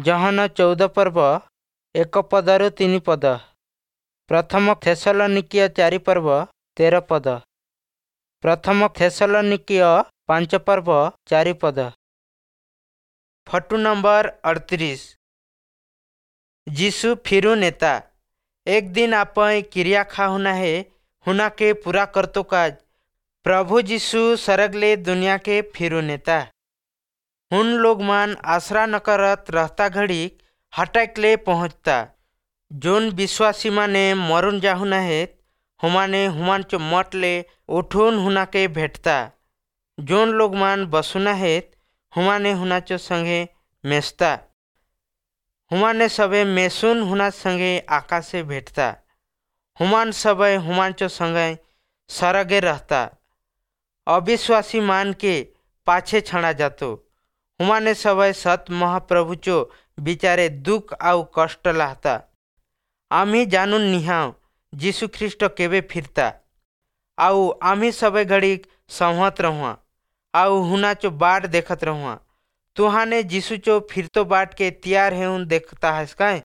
ଯୋହନ 14 ପର୍ବ 1 ପଦରୁ 3 ପଦ। ପ୍ରଥମ ଥେସଲନୀକୀୟ 4 ପର୍ବ 13 ପଦ। ପ୍ରଥମ ଥେସଲନୀକୀୟ 5 ପର୍ବ 4 ପଦ। Photo number 38। ଯୀଶୁ फिरू नेता। एक दिन आपै क्रिया खाहुना हे हुना के पूरा करतो काज प्रभु यीशु सरगले दुनिया के फिरू नेता। हुन लोग मान आसरा न करत रहता घड़ी हटकले पहुँचता। जोन विश्वासी माने मरुन जाहुना हेत हुमाने हुमानचो मठ ले उठून हुना के भेटता। जोन लोग मान बसुना हेत हुमाने हुनाचो संगे मेसता। हुमाने सबे मेसुन हुना संगे आकाशे भेटता। हुमान सबे हुमानचो संगे सरगे रहता। अविश्वासी मान के पाछे छाड़ा जातो। हुमाने सबे सत महाप्रभुचो बिचारे दुख आउ कष्ट लाहता। आम्ही जाणून निहाव यीशु ख्रीष्ट केवे फिरता आउ आम्ही सबे घड़ी संहत रहुआ आउ हुनाचो बाट देखत रहुआ। तुहाने यीशुचो फिरतो बाट के तैयार हेउन देखता हस काय?